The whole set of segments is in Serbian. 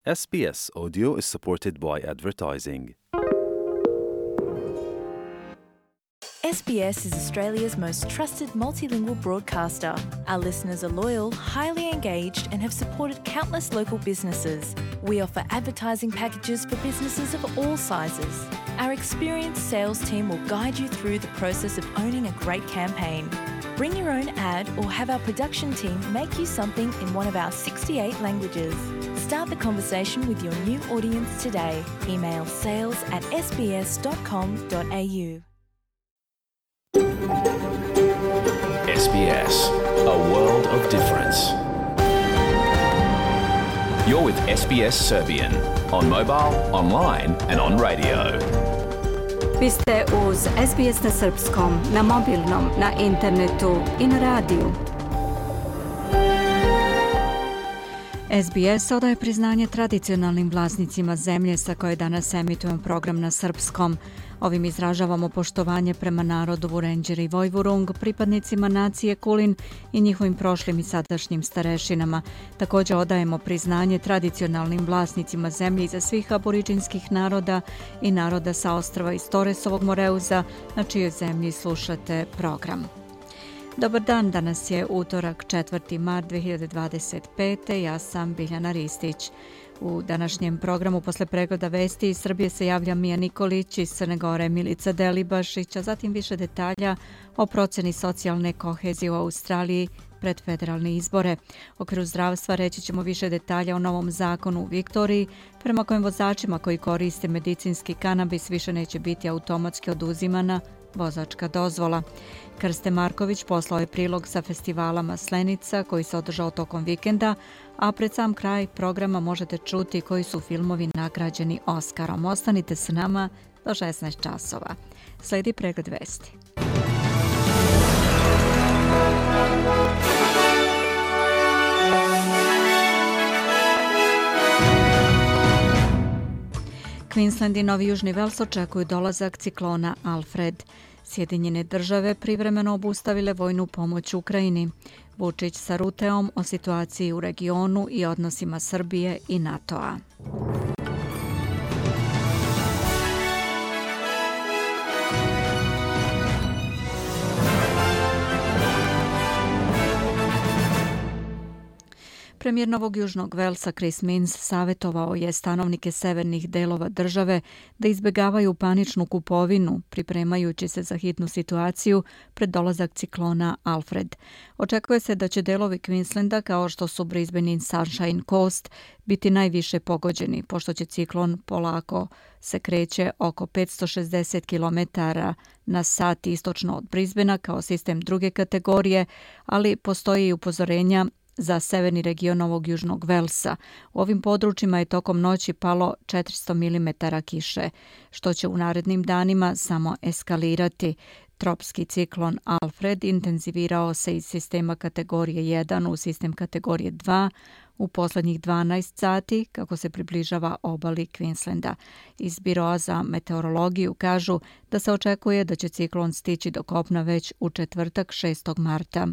SBS Audio is supported by advertising. SBS is Australia's most trusted multilingual broadcaster. Our listeners are loyal, highly engaged, and have supported countless local businesses. We offer advertising packages for businesses of all sizes. Our experienced sales team will guide you through the process of owning a great campaign. Bring your own ad or have our production team make you something in one of our 68 languages. Start the conversation with your new audience today. Email sales@sbs.com.au. SBS, a world of difference. You're with SBS Serbian on mobile, online and on radio. Vi ste uz SBS na srpskom, na mobilnom, na internetu i na radiju. SBS odaje priznanje tradicionalnim vlasnicima zemlje sa koje danas emitujemo program na srpskom. Ovim izražavamo poštovanje prema narodu Vurenđeri i Vojvurung, pripadnicima nacije Kulin i njihovim prošlim i sadašnjim starešinama. Također odajemo priznanje tradicionalnim vlasnicima zemlje iza svih aboriđinskih naroda i naroda sa ostrva iz Toresovog Moreuza, na čijoj zemlji slušate program. Dobar dan, danas je utorak 4. mart 2025. Ja sam Biljana Ristić. U današnjem programu posle pregleda vesti iz Srbije se javlja Mija Nikolić, iz Crne Gore Milica Delibašić, a zatim više detalja o proceni socijalne kohezije u Australiji pred federalne izbore. U okviru zdravstva reći ćemo više detalja o novom zakonu u Viktoriji, prema kojem vozačima koji koriste medicinski kanabis više neće biti automatski oduzimana vozačka dozvola. Krste Marković poslao je prilog sa festivala Maslenica koji se održao tokom vikenda, a pred sam kraj programa možete čuti koji su filmovi nagrađeni Oskarom. Ostanite s nama do 16 časova. Slijedi pregled vesti. Queensland i Novi Južni Vels očekuju dolazak ciklona Alfred. Sjedinjene države privremeno obustavile vojnu pomoć Ukrajini. Vučić sa Ruteom o situaciji u regionu i odnosima Srbije i NATO-a. Premijer Novog Južnog Velsa Chris Minns savjetovao je stanovnike severnih delova države da izbjegavaju paničnu kupovinu, pripremajući se za hitnu situaciju pred dolazak ciklona Alfred. Očekuje se da će delovi Queenslanda, kao što su Brisbane i Sunshine Coast, biti najviše pogođeni, pošto će ciklon polako se kreće oko 560 km na sat istočno od Brisbanea kao sistem druge kategorije, ali postoji i upozorenja za severni region Novog Južnog Velsa. U ovim područjima je tokom noći palo 400 mm kiše, što će u narednim danima samo eskalirati. Tropski ciklon Alfred intenzivirao se iz sistema kategorije 1 u sistem kategorije 2 u posljednjih 12 sati kako se približava obali Queenslanda. Iz Biroa za meteorologiju kažu da se očekuje da će ciklon stići do kopna već u četvrtak 6. marta.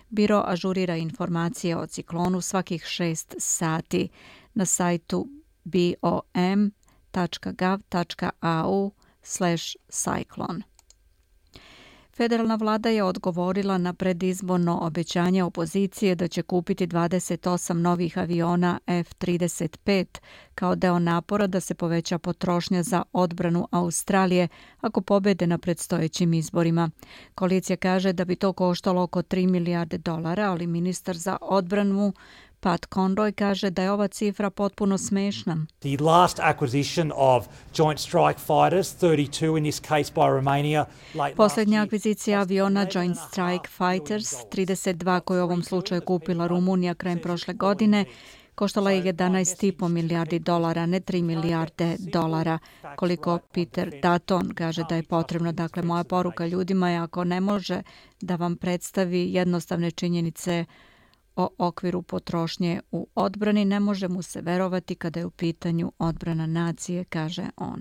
Biro ažurira informacije o ciklonu svakih 6 sati na sajtu bom.gov.au/cyclone. Federalna vlada je odgovorila na predizborno obećanje opozicije da će kupiti 28 novih aviona F-35 kao deo napora da se poveća potrošnja za odbranu Australije ako pobede na predstojećim izborima. Koalicija kaže da bi to koštalo oko $3 milijarde, ali ministar za odbranu Pat Conroy kaže da je ova cifra potpuno smešna. The last acquisition of Joint Strike Fighters, 32 in this case by Romania, Posljednja akvizicija aviona Joint Strike Fighters, 32 koju u ovom slučaju kupila Rumunija krajem prošle godine, koštala je $11,5 milijardi, ne $3 milijarde, koliko Peter Dutton kaže da je potrebno. Dakle, moja poruka ljudima je ako ne može da vam predstavi jednostavne činjenice o okviru potrošnje u odbrani, ne može mu se verovati kada je u pitanju odbrana nacije, kaže on.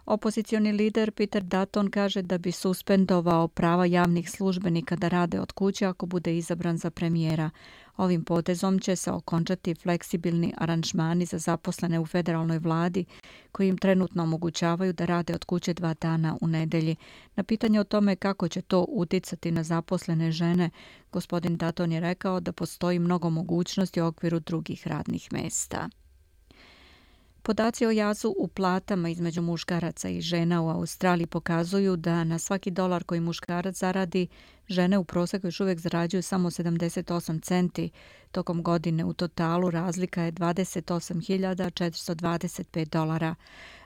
Opozicioni lider Peter Dutton kaže da bi suspendovao prava javnih službenika da rade od kuće ako bude izabran za premijera. Ovim potezom će se okončati fleksibilni aranžmani za zaposlene u federalnoj vladi koji im trenutno omogućavaju da rade od kuće 2 dana u nedelji. Na pitanje o tome kako će to uticati na zaposlene žene, gospodin Dutton je rekao da postoji mnogo mogućnosti u okviru drugih radnih mesta. Podaci o jazu u platama između muškaraca i žena u Australiji pokazuju da na svaki dolar koji muškarac zaradi, žene u prosjeku još uvijek zarađuju samo 78 centi. Tokom godine u totalu razlika je 28.425 dolara.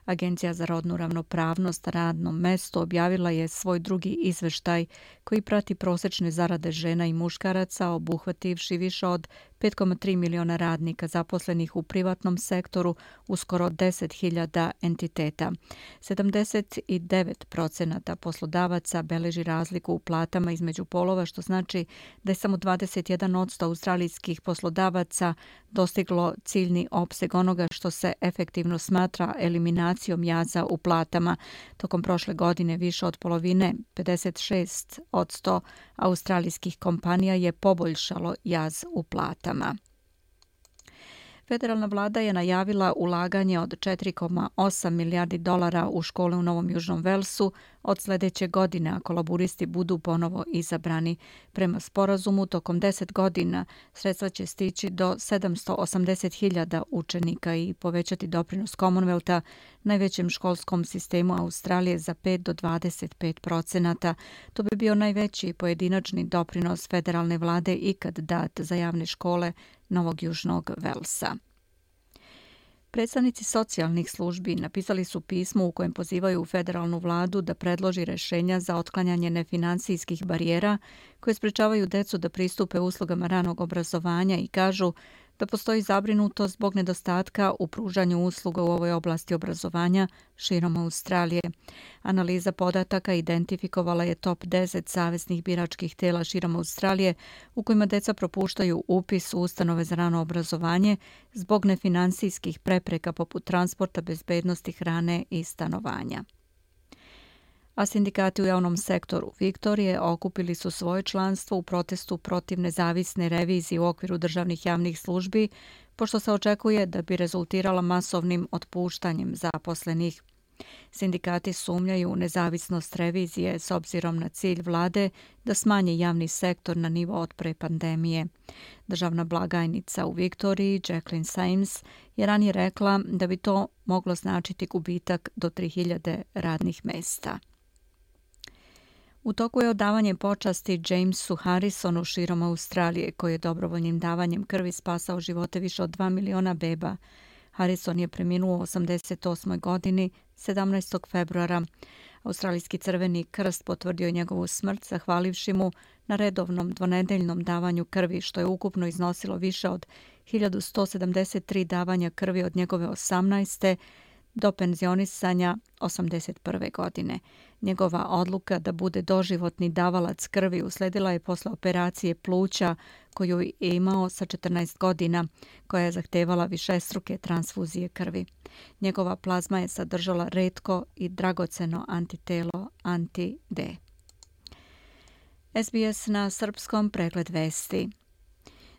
Agencija za rodnu ravnopravnost na radnom mestu objavila je svoj drugi izveštaj koji prati prosječne zarade žena i muškaraca, obuhvativši više od 5,3 miliona radnika zaposlenih u privatnom sektoru u skoro 10.000 entiteta. 79% poslodavaca beleži razliku u platama između polova, što znači da je samo 21% australijskih poslodavaca dostiglo ciljni opseg onoga što se efektivno smatra eliminacijom jaza u platama. Tokom prošle godine više od polovine, 56% australijskih kompanija je poboljšalo jaz u platama. Federalna vlada je najavila ulaganje od 4,8 milijardi dolara u škole u Novom Južnom Velsu od sljedeće godine ako laburisti budu ponovo izabrani. Prema sporazumu, tokom 10 godina sredstva će stići do 780.000 učenika i povećati doprinos Commonwealtha, najvećem školskom sistemu Australije, za 5 do 25%. To bi bio najveći pojedinačni doprinos federalne vlade ikad dat za javne škole Novog Južnog Velsa. Predstavnici socijalnih službi napisali su pismo u kojem pozivaju federalnu vladu da predloži rješenja za otklanjanje nefinансijskih barijera koje sprečavaju decu da pristupe uslugama ranog obrazovanja i kažu da postoji zabrinutost zbog nedostatka u pružanju usluga u ovoj oblasti obrazovanja širom Australije. Analiza podataka identifikovala je top 10 saveznih biračkih tela širom Australije u kojima deca propuštaju upis u ustanove za rano obrazovanje zbog nefinансijskih prepreka poput transporta, bezbednosti, hrane i stanovanja. A sindikati u javnom sektoru Viktorije okupili su svoje članstvo u protestu protiv nezavisne revizije u okviru državnih javnih službi, pošto se očekuje da bi rezultirala masovnim otpuštanjem zaposlenih. Sindikati sumnjaju u nezavisnost revizije s obzirom na cilj vlade da smanji javni sektor na nivo od pre pandemije. Državna blagajnica u Viktoriji, Jacqueline Sames, je ranije rekla da bi to moglo značiti gubitak do 3.000 radnih mesta. U toku je odavanje počasti Jamesu Harrisonu širom Australije, koji je dobrovoljnim davanjem krvi spasao živote više od 2 miliona beba. Harrison je preminuo u 88. godini 17. februara. Australijski Crveni krst potvrdio je njegovu smrt zahvalivši mu na redovnom dvonedeljnom davanju krvi, što je ukupno iznosilo više od 1173 davanja krvi od njegove 18. do penzionisanja 81. godine. Njegova odluka da bude doživotni davalac krvi usledila je posle operacije pluća koju je imao sa 14 godina, koja je zahtevala višestruke transfuzije krvi. Njegova plazma je sadržala retko i dragoceno antitelo anti-D. SBS na srpskom, pregled vesti.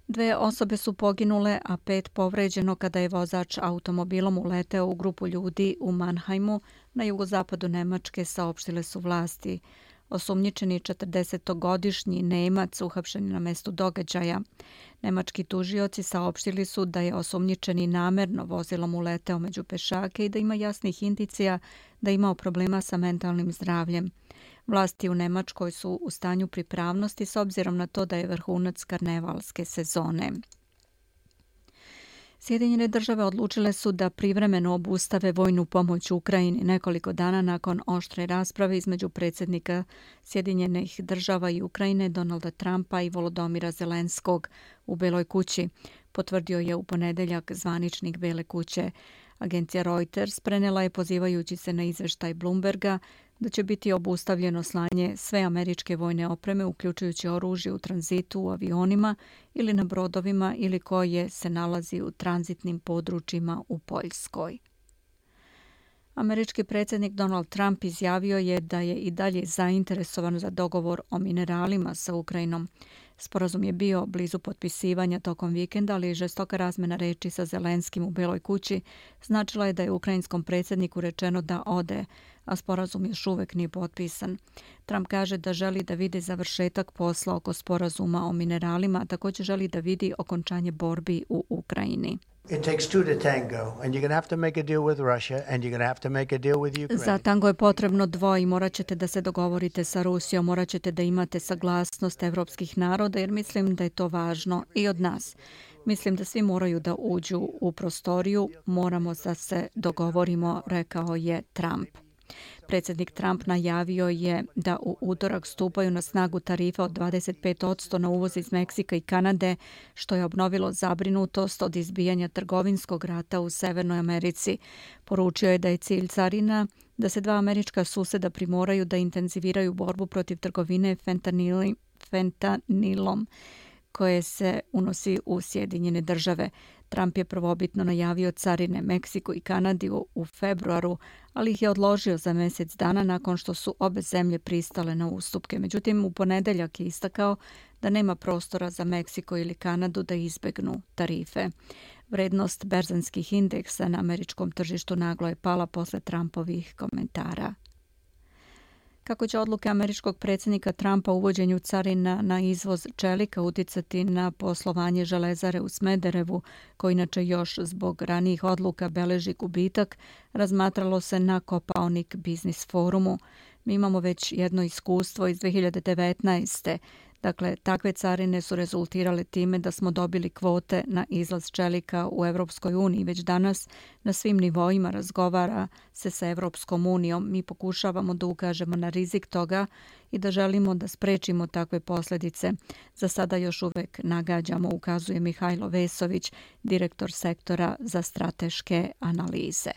2 osobe su poginule, a 5 povređeno kada je vozač automobilom uleteo u grupu ljudi u Mannheimu na jugozapadu Nemačke, saopštile su vlasti. Osumnjičeni 40-godišnji Nemac uhapšen na mestu događaja. Nemački tužioci saopštili su da je osumnjičeni namerno vozilom uleteo među pešake i da ima jasnih indicija da je imao problema sa mentalnim zdravljem. Vlasti u Nemačkoj su u stanju pripravnosti s obzirom na to da je vrhunac karnevalske sezone. Sjedinjene države odlučile su da privremeno obustave vojnu pomoć Ukrajini nekoliko dana nakon oštre rasprave između predsjednika Sjedinjenih država i Ukrajine Donalda Trumpa i Volodomira Zelenskog u Beloj kući, potvrdio je u ponedeljak zvaničnik Bele kuće. Agencija Reuters prenela je pozivajući se na izveštaj Bloomberga da će biti obustavljeno slanje sve američke vojne opreme, uključujući oružje u tranzitu u avionima ili na brodovima ili koje se nalazi u tranzitnim područjima u Poljskoj. Američki predsjednik Donald Trump izjavio je da je i dalje zainteresovan za dogovor o mineralima sa Ukrajinom. Sporazum je bio blizu potpisivanja tokom vikenda, ali žestoka razmena reči sa Zelenskim u Beloj kući značila je da je ukrajinskom predsjedniku rečeno da ode, a sporazum još uvek nije potpisan. Trump kaže da želi da vidi završetak posla oko sporazuma o mineralima, a također želi da vidi okončanje borbi u Ukrajini. It takes two to tango, and you're going to have to make a deal with Russia, and you're going to have to make a deal with Ukraine. Za tango je potrebno dvoje i morat ćete da se dogovorite sa Rusijom, morat ćete da imate saglasnost evropskih naroda, jer mislim da je to važno i od nas. Mislim da svi moraju da uđu u prostoriju, moramo da se dogovorimo, rekao je Trump. Predsjednik Trump najavio je da u utorak stupaju na snagu tarife od 25% na uvoz iz Meksika i Kanade, što je obnovilo zabrinutost od izbijanja trgovinskog rata u Severnoj Americi. Poručio je da je cilj carina da se dva američka suseda primoraju da intenziviraju borbu protiv trgovine fentanilom koje se unosi u Sjedinjene države. Trump je prvobitno najavio carine Meksiku i Kanadi u februaru, ali ih je odložio za mjesec dana nakon što su obe zemlje pristale na ustupke. Međutim, u ponedeljak je istakao da nema prostora za Meksiko ili Kanadu da izbegnu tarife. Vrednost berzanskih indeksa na američkom tržištu naglo je pala posle Trumpovih komentara. Kako će odluke američkog predsjednika Trumpa o uvođenju carina na izvoz čelika uticati na poslovanje železare u Smederevu, koji inače još zbog ranijih odluka beleži gubitak, razmatralo se na Kopaonik Biznis forumu. Mi imamo već jedno iskustvo iz 2019. Dakle, takve carine su rezultirale time da smo dobili kvote na izlaz čelika u Evropskoj uniji. Već danas na svim nivoima razgovara se sa Evropskom unijom. Mi pokušavamo da ukažemo na rizik toga i da želimo da sprečimo takve posljedice. Za sada još uvek nagađamo, ukazuje Mihajlo Vesović, direktor sektora za strateške analize.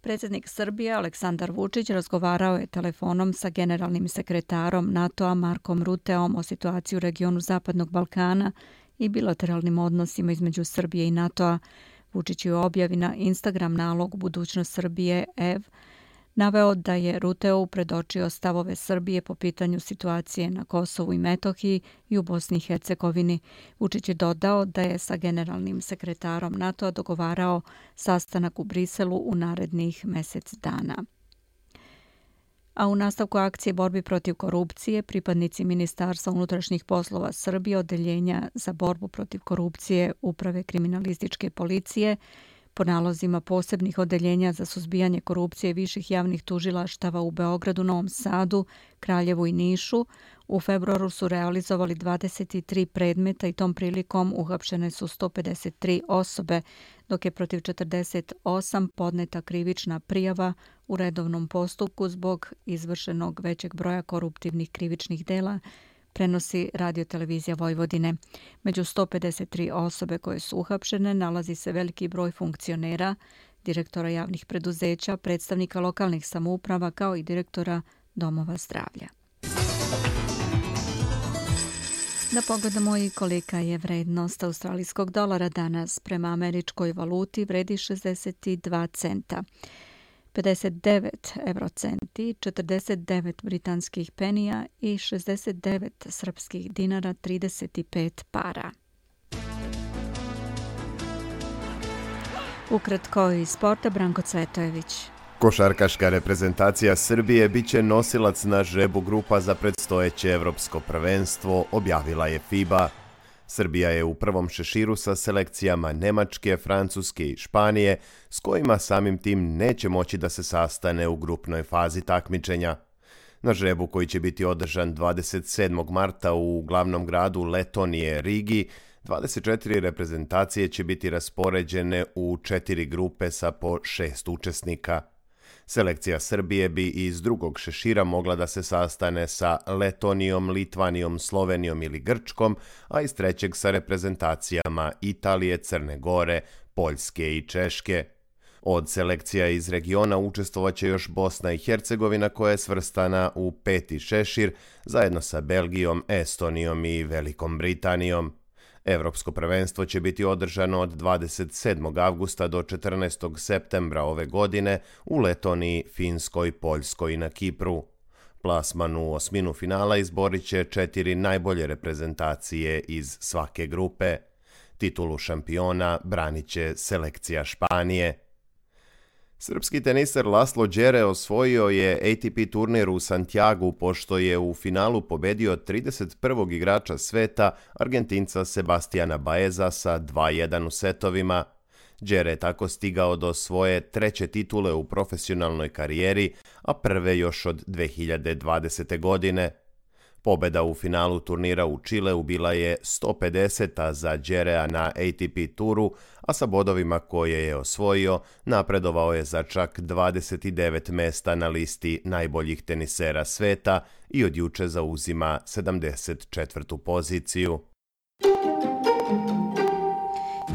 Predsjednik Srbije Aleksandar Vučić razgovarao je telefonom sa generalnim sekretarom NATO-a Markom Ruteom o situaciji u regionu Zapadnog Balkana i bilateralnim odnosima između Srbije i NATO-a. Vučić je u objavi na Instagram nalogu Budućnost Srbije EV naveo da je Ruteu predočio stavove Srbije po pitanju situacije na Kosovu i Metohiji i u Bosni i Hercegovini. Vučić je dodao da je sa generalnim sekretarom NATO-a dogovarao sastanak u Briselu u narednih mjesec dana. A u nastavku akcije borbi protiv korupcije, pripadnici Ministarstva unutrašnjih poslova Srbije, Odeljenja za borbu protiv korupcije Uprave kriminalističke policije, po nalozima posebnih odeljenja za suzbijanje korupcije viših javnih tužilaštava u Beogradu, Novom Sadu, Kraljevu i Nišu, u februaru su realizovali 23 predmeta i tom prilikom uhapšene su 153 osobe, dok je protiv 48 podneta krivična prijava u redovnom postupku zbog izvršenog većeg broja koruptivnih krivičnih dela, prenosi Radiotelevizija Vojvodine. Među 153 osobe koje su uhapšene nalazi se veliki broj funkcionera, direktora javnih preduzeća, predstavnika lokalnih samouprava kao i direktora domova zdravlja. Da pogledamo i kolika je vrednost australijskog dolara danas. Prema američkoj valuti vredi 62 centa. 59 eurocenti, 49 britanskih penija i 69 srpskih dinara 35 para. Ukratko iz sporta, Branko Cvetojević. Košarkaška reprezentacija Srbije biće nosilac na žrebu grupa za predstojeće evropsko prvenstvo, objavila je FIBA. Srbija je u prvom šeširu sa selekcijama Nemačke, Francuske i Španije, s kojima samim tim neće moći da se sastane u grupnoj fazi takmičenja. Na žrebu koji će biti održan 27. marta u glavnom gradu Letonije, Rigi, 24 reprezentacije će biti raspoređene u 4 grupe sa po 6 učesnika. Selekcija Srbije bi iz drugog šešira mogla da se sastane sa Letonijom, Litvanijom, Slovenijom ili Grčkom, a iz trećeg sa reprezentacijama Italije, Crne Gore, Poljske i Češke. Od selekcija iz regiona učestvovaće još Bosna i Hercegovina koja je svrstana u 5. šešir zajedno sa Belgijom, Estonijom i Velikom Britanijom. Evropsko prvenstvo će biti održano od 27. avgusta do 14. septembra ove godine u Letoniji, Finskoj, Poljskoj i na Kipru. Plasman u osminu finala izborit će 4 najbolje reprezentacije iz svake grupe. Titulu šampiona branit će selekcija Španije. Srpski teniser Laslo Đere osvojio je ATP turnir u Santiagu pošto je u finalu pobedio 31. igrača sveta, Argentinca Sebastiana Baeza sa 2:1 u setovima. Đere je tako stigao do svoje treće titule u profesionalnoj karijeri, a prve još od 2020. godine. Pobeda u finalu turnira u Čileu bila je 150. za Đerea na ATP turu, a sa bodovima koje je osvojio napredovao je za čak 29 mesta na listi najboljih tenisera sveta i od juče zauzima 74. poziciju.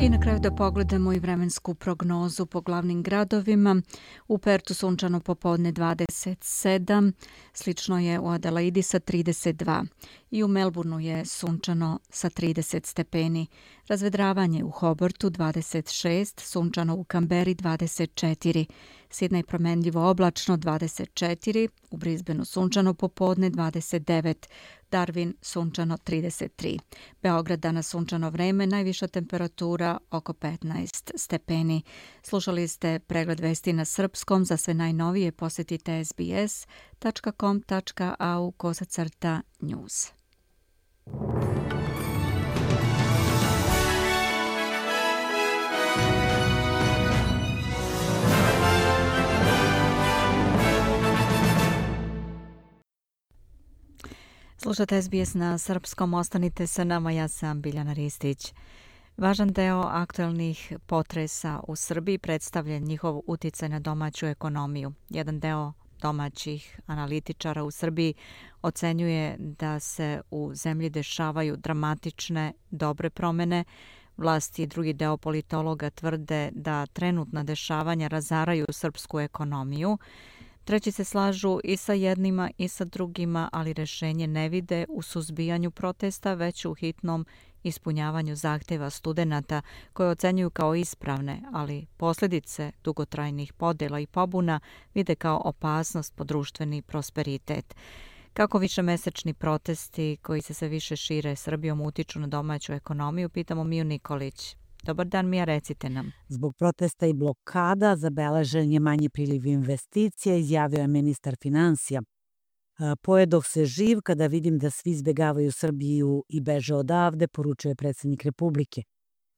I na kraju da pogledamo i vremensku prognozu po glavnim gradovima. U Pertu sunčano popodne 27, slično je u Adelaidi sa 32 i u Melbourneu je sunčano sa 30 stepeni. Razvedravanje u Hobartu 26, sunčano u Kamberi 24, Sidnej promenljivo oblačno 24, u Brisbaneu sunčano popodne 29, Darwin sunčano 33. Beograd danas sunčano vreme, najviša temperatura oko 15 stepeni. Slušali ste pregled vesti na srpskom. Za sve najnovije posjetite sbs.com.au/news. Slušate SBS na srpskom, ostanite sa nama, ja sam Biljana Ristić. Važan deo aktuelnih potresa u Srbiji predstavlja njihov uticaj na domaću ekonomiju. Jedan deo domaćih analitičara u Srbiji ocenjuje da se u zemlji dešavaju dramatične dobre promene. Vlasti i drugi deo politologa tvrde da trenutna dešavanja razaraju srpsku ekonomiju. Treći se slažu i sa jednima i sa drugima, ali rešenje ne vide u suzbijanju protesta, već u hitnom ispunjavanju zahteva studenata koje ocenjuju kao ispravne, ali posljedice dugotrajnih podela i pobuna vide kao opasnost po društveni prosperitet. Kako višemesečni protesti koji se sve više šire Srbijom utiču na domaću ekonomiju, pitamo Miju Nikolić. Dobar dan, Mija, recite nam. Zbog protesta i blokada zabeležen je manji priliv investicija, izjavio je ministar finansija. Pojedoh se živ kada vidim da svi izbegavaju Srbiju i beže odavde, poručuje predsjednik Republike.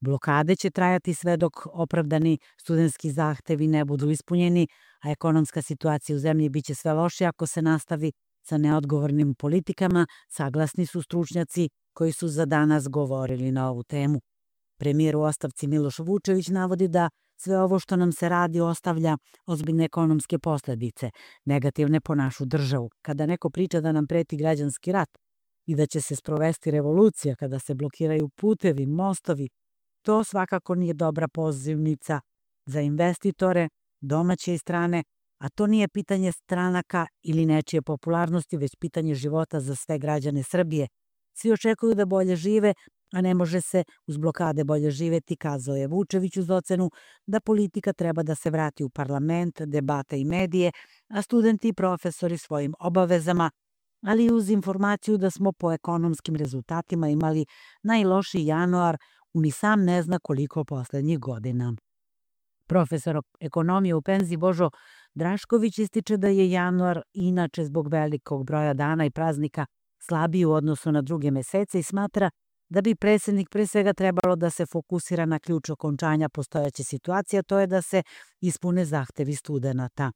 Blokade će trajati sve dok opravdani studentski zahtevi ne budu ispunjeni, a ekonomska situacija u zemlji biće sve lošija ako se nastavi sa neodgovornim politikama, saglasni su stručnjaci koji su za danas govorili na ovu temu. Premijer u ostavci Miloš Vučević navodi da sve ovo što nam se radi ostavlja ozbiljne ekonomske posljedice, negativne po našu državu. Kada neko priča da nam preti građanski rat i da će se sprovesti revolucija kada se blokiraju putevi, mostovi, to svakako nije dobra pozivnica za investitore, domaće i strane, a to nije pitanje stranaka ili nečije popularnosti, već pitanje života za sve građane Srbije. Svi očekuju da bolje žive, a ne može se uz blokade bolje živeti, kazao je Vučević uz ocenu da politika treba da se vrati u parlament, debate i medije, a studenti i profesori svojim obavezama, ali i uz informaciju da smo po ekonomskim rezultatima imali najlošiji januar u ni sam ne zna koliko poslednjih godina. Profesor ekonomije u penziji Božo Drašković ističe da je januar inače zbog velikog broja dana i praznika slabiji u odnosu na druge mesece i smatra da bi predsjednik pre svega trebalo da se fokusira na ključ okončanja postojeće situacije, a to je da se ispune zahtevi studenata.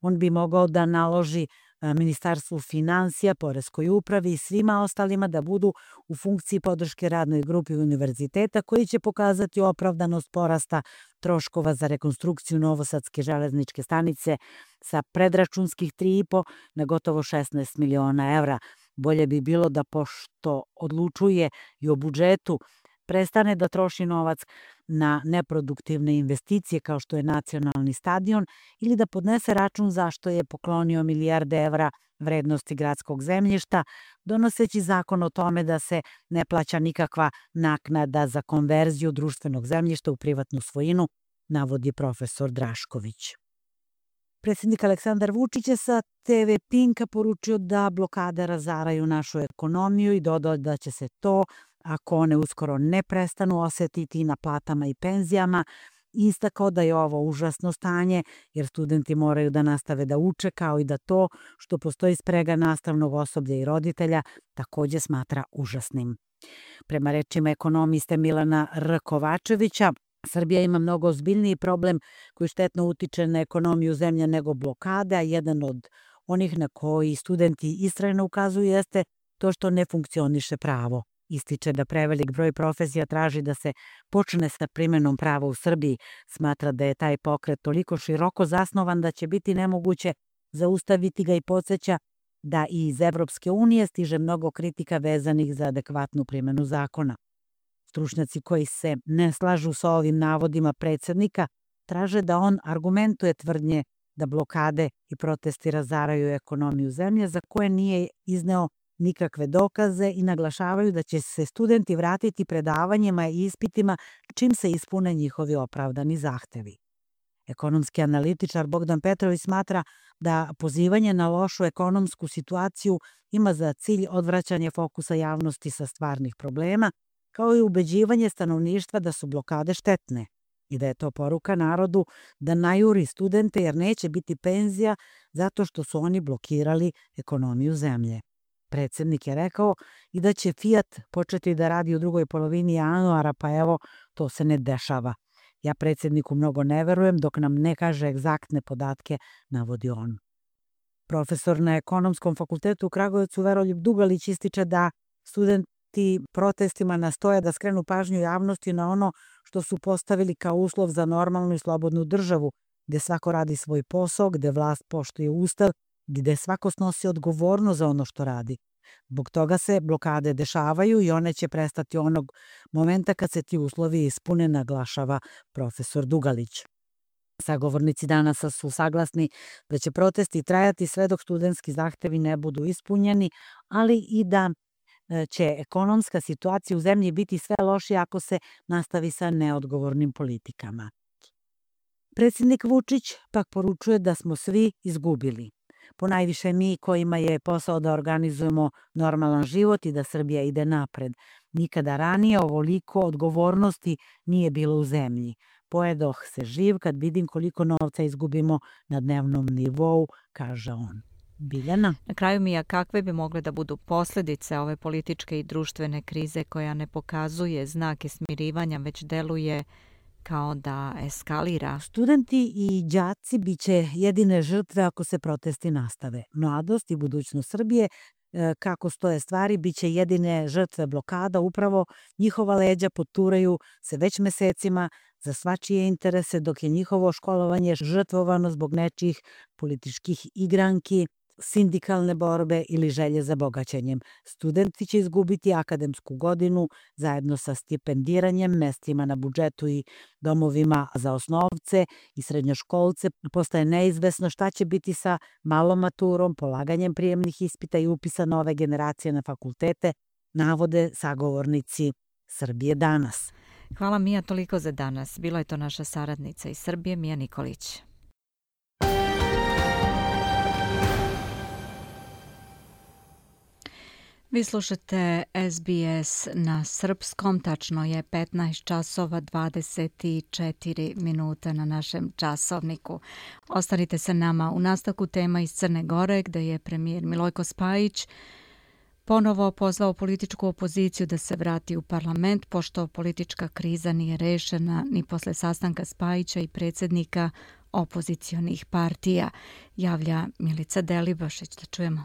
On bi mogao da naloži Ministarstvu finansija, Poreskoj upravi i svima ostalima da budu u funkciji podrške radnoj grupi univerziteta koji će pokazati opravdanost porasta troškova za rekonstrukciju Novosadske železničke stanice sa predračunskih 3,5 na gotovo 16 miliona evra. Bolje bi bilo da, pošto odlučuje i o budžetu, prestane da troši novac na neproduktivne investicije kao što je nacionalni stadion ili da podnese račun zašto je poklonio milijarde evra vrednosti gradskog zemljišta, donoseći zakon o tome da se ne plaća nikakva naknada za konverziju društvenog zemljišta u privatnu svojinu, navodi profesor Drašković. Predsjednik Aleksandar Vučić je sa TV Pinka poručio da blokade razaraju našu ekonomiju i dodao da će se to, ako one uskoro ne prestanu, osetiti na platama i penzijama. Istakao da je ovo užasno stanje jer studenti moraju da nastave da uče, kao i da to što postoji sprega nastavnog osoblja i roditelja takođe smatra užasnim. Prema rečima ekonomiste Milana R. Kovačevića, Srbija ima mnogo ozbiljniji problem koji štetno utiče na ekonomiju zemlje nego blokade, a jedan od onih na koji studenti istrajno ukazuju jeste to što ne funkcioniše pravo. Ističe da prevelik broj profesija traži da se počne sa primenom prava u Srbiji. Smatra da je taj pokret toliko široko zasnovan da će biti nemoguće zaustaviti ga i podsjeća da i iz Evropske unije stiže mnogo kritika vezanih za adekvatnu primenu zakona. Stručnjaci koji se ne slažu sa ovim navodima predsjednika traže da on argumentuje tvrdnje da blokade i protesti razaraju ekonomiju zemlje za koje nije izneo nikakve dokaze i naglašavaju da će se studenti vratiti predavanjima i ispitima čim se ispune njihovi opravdani zahtevi. Ekonomski analitičar Bogdan Petrović smatra da pozivanje na lošu ekonomsku situaciju ima za cilj odvraćanje fokusa javnosti sa stvarnih problema, kao i ubeđivanje stanovništva da su blokade štetne i da je to poruka narodu da najuri studente jer neće biti penzija zato što su oni blokirali ekonomiju zemlje. Predsjednik je rekao i da će Fiat početi da radi u drugoj polovini januara, pa evo, to se ne dešava. Ja predsjedniku mnogo ne verujem dok nam ne kaže egzaktne podatke, navodi on. Profesor na Ekonomskom fakultetu u Kragujevcu Veroljub Dugalić ističe da studenti protestima nastoje da skrenu pažnju javnosti na ono što su postavili kao uslov za normalnu i slobodnu državu, gde svako radi svoj posao, gde vlast poštuje ustav, gde svako snosi odgovornost za ono što radi. Zbog toga se blokade dešavaju i one će prestati onog momenta kad se ti uslovi ispune, naglašava profesor Dugalić. Sagovornici danas su saglasni da će protesti trajati sve dok studentski zahtevi ne budu ispunjeni, ali i da će ekonomska situacija u zemlji biti sve lošija ako se nastavi sa neodgovornim politikama. Predsjednik Vučić pak poručuje da smo svi izgubili. Ponajviše mi kojima je posao da organizujemo normalan život i da Srbija ide napred. Nikada ranije ovoliko odgovornosti nije bilo u zemlji. Pojedoh se živ kad vidim koliko novca izgubimo na dnevnom nivou, kaže on. Biljana? Na kraju, Mija, kakve bi mogle da budu posljedice ove političke i društvene krize koja ne pokazuje znake smirivanja, već deluje kao da eskalira? Studenti i đaci biće jedine žrtve ako se protesti nastave. Mladost i budućnost Srbije, kako stoje stvari, biće jedine žrtve blokada. Upravo njihova leđa poturaju se već mesecima za svačije interese, dok je njihovo školovanje žrtvovano zbog nečijih političkih igranki, sindikalne borbe ili želje za bogaćenjem. Studenti će izgubiti akademsku godinu zajedno sa stipendiranjem, mestima na budžetu i domovima za osnovce i srednjoškolce. Postaje neizvesno šta će biti sa malom maturom, polaganjem prijemnih ispita i upisa nove generacije na fakultete, navode sagovornici Srbije danas. Hvala, Mija, toliko za danas. Bila je to naša saradnica iz Srbije, Mija Nikolić. Vi slušate SBS na srpskom, tačno je 15 časova 24 minuta na našem časovniku. Ostanite sa nama u nastavku tema iz Crne Gore, gde je premijer Milojko Spajić ponovo pozvao političku opoziciju da se vrati u parlament, pošto politička kriza nije rešena ni posle sastanka Spajića i predsjednika opozicionih partija. Javlja Milica Delibašić, da čujemo.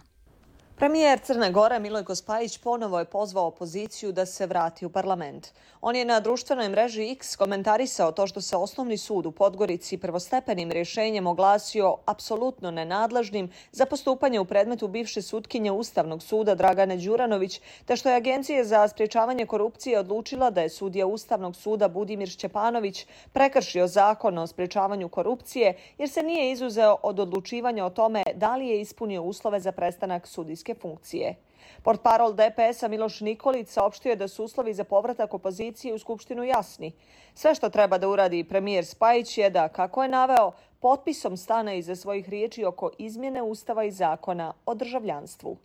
Premijer Crne Gore Milojko Spajić ponovo je pozvao opoziciju da se vrati u parlament. On je na društvenoj mreži X komentarisao to što se Osnovni sud u Podgorici prvostepenim rješenjem oglasio apsolutno nenadležnim za postupanje u predmetu bivše sutkinje Ustavnog suda Dragane Đuranović, te što je Agencija za sprječavanje korupcije odlučila da je sudija Ustavnog suda Budimir Šćepanović prekršio zakon o sprječavanju korupcije jer se nije izuzeo od odlučivanja o tome da li je ispunio uslove za prestanak sudijske funkcije. Portparol DPS-a Miloš Nikolić saopštio je da su uslovi za povratak opozicije u Skupštinu jasni. Sve što treba da uradi premijer Spajić je da, kako je naveo, potpisom stane iza svojih riječi oko izmjene Ustava i zakona o državljanstvu.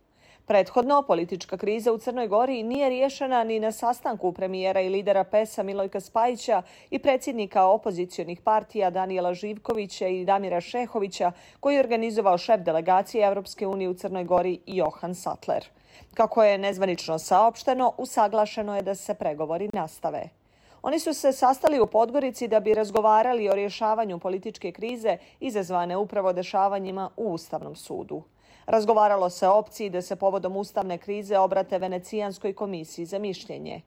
Prethodno, politička kriza u Crnoj Gori nije riješena ni na sastanku premijera i lidera PES-a Milojka Spajića i predsjednika opozicionih partija Danijela Živkovića i Damira Šehovića, koji je organizovao šef delegacije Evropske unije u Crnoj Gori Johan Sattler. Kako je nezvanično saopšteno, usaglašeno je da se pregovori nastave. Oni su se sastali u Podgorici da bi razgovarali o rješavanju političke krize izazvane upravo dešavanjima u Ustavnom sudu. Razgovaralo se o opciji da se povodom ustavne krize obrate Venecijanskoj komisiji za mišljenje.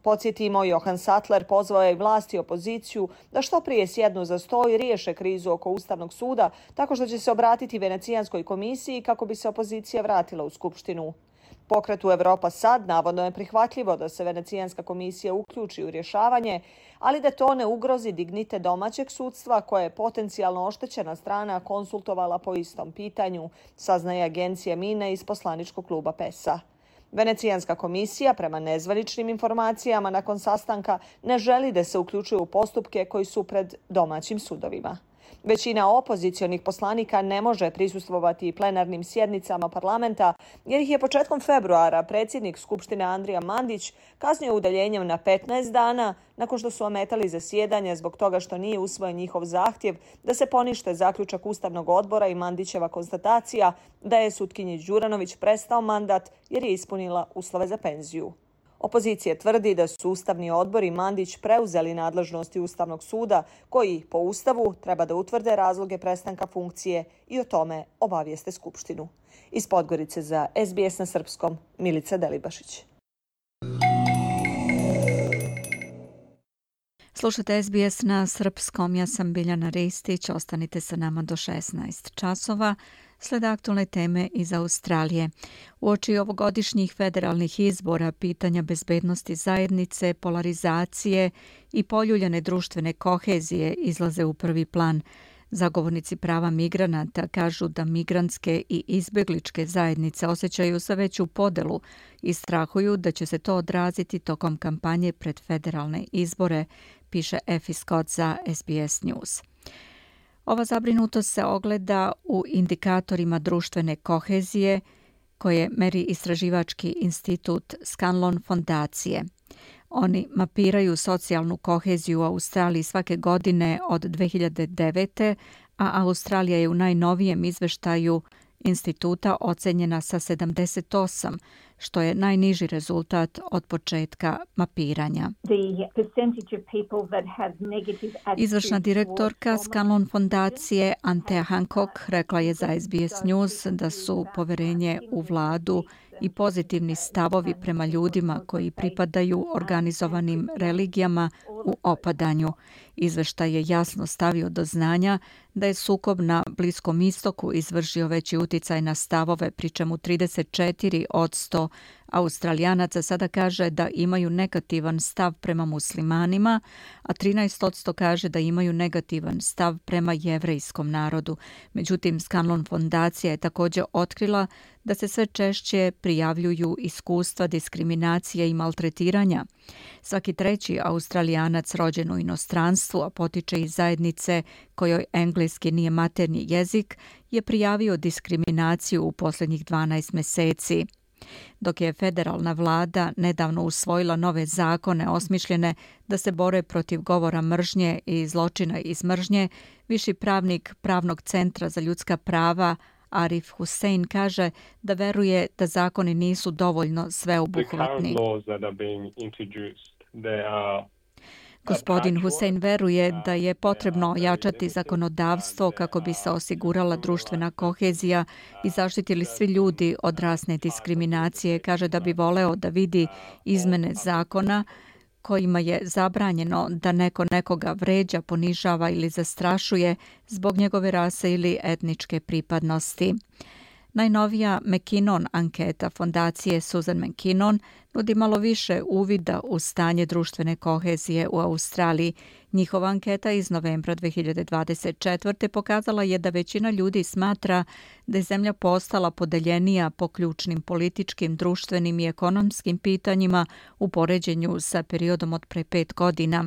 Podsjetimo, Johan Sattler pozvao je vlast i opoziciju da što prije sjednu za sto i riješe krizu oko Ustavnog suda tako što će se obratiti Venecijanskoj komisiji kako bi se opozicija vratila u Skupštinu. Pokretu Evropa sad navodno je prihvatljivo da se Venecijanska komisija uključi u rješavanje, ali da to ne ugrozi dignitet domaćeg sudstva koje je potencijalno oštećena strana konsultovala po istom pitanju, saznaje agencija Mine iz poslaničkog kluba PES-a. Venecijanska komisija, prema nezvaničnim informacijama nakon sastanka, ne želi da se uključuje u postupke koji su pred domaćim sudovima. Većina opozicionih poslanika ne može prisustvovati plenarnim sjednicama parlamenta jer ih je početkom februara predsjednik Skupštine Andrija Mandić kaznio udaljenjem na 15 dana nakon što su ometali zasjedanje zbog toga što nije usvojen njihov zahtjev da se ponište zaključak Ustavnog odbora i Mandićeva konstatacija da je sutkinji Đuranović prestao mandat jer je ispunila uslove za penziju. Opozicija tvrdi da su Ustavni odbor i Mandić preuzeli nadležnosti Ustavnog suda koji, po Ustavu, treba da utvrde razloge prestanka funkcije i o tome obavijeste Skupštinu. Iz Podgorice za SBS na srpskom, Milica Delibašić. Slušate SBS na srpskom, ja sam Biljana Ristić, ostanite sa nama do 16 časova. Sled aktualne teme iz Australije. Uoči ovogodišnjih federalnih izbora, pitanja bezbednosti zajednice, polarizacije i poljuljane društvene kohezije izlaze u prvi plan. Zagovornici prava migranata kažu da migrantske i izbegličke zajednice osjećaju sve veću podelu i strahuju da će se to odraziti tokom kampanje pred federalne izbore, piše Effie Scott za SBS News. Ova zabrinutost se ogleda u indikatorima društvene kohezije koje meri istraživački institut Scanlon fondacije. Oni mapiraju socijalnu koheziju u Australiji svake godine od 2009. a Australija je u najnovijem izveštaju instituta ocenjena sa 78, što je najniži rezultat od početka mapiranja. Izvršna direktorka Scanlon fondacije Antea Hancock rekla je za SBS News da su poverenje u vladu i pozitivni stavovi prema ljudima koji pripadaju organizovanim religijama u opadanju. Izveštaj je jasno stavio do znanja da je sukob na Bliskom istoku izvršio veći uticaj na stavove, pri čemu 34% Australijanaca sada kaže da imaju negativan stav prema muslimanima, a 13% kaže da imaju negativan stav prema jevrejskom narodu. Međutim, Scanlon fondacija je također otkrila da se sve češće prijavljuju iskustva diskriminacije i maltretiranja. Svaki treći Australijanac rođen u inostranstvu, a potiče iz zajednice kojoj engleski nije maternji jezik, je prijavio diskriminaciju u posljednjih 12 mjeseci. Dok je federalna vlada nedavno usvojila nove zakone osmišljene da se bore protiv govora mržnje i zločina iz mržnje, viši pravnik Pravnog centra za ljudska prava Arif Hussein kaže da veruje da zakoni nisu dovoljno sveobuhvatni. Gospodin Hussein veruje da je potrebno ojačati zakonodavstvo kako bi se osigurala društvena kohezija i zaštitili svi ljudi od rasne diskriminacije. Kaže da bi voleo da vidi izmene zakona kojima je zabranjeno da neko nekoga vređa, ponižava ili zastrašuje zbog njegove rase ili etničke pripadnosti. Najnovija McKinnon anketa fondacije Susan McKinnon nudi malo više uvida u stanje društvene kohezije u Australiji. Njihova anketa iz novembra 2024. pokazala je da većina ljudi smatra da je zemlja postala podeljenija po ključnim političkim, društvenim i ekonomskim pitanjima u poređenju sa periodom od pre 5 godina.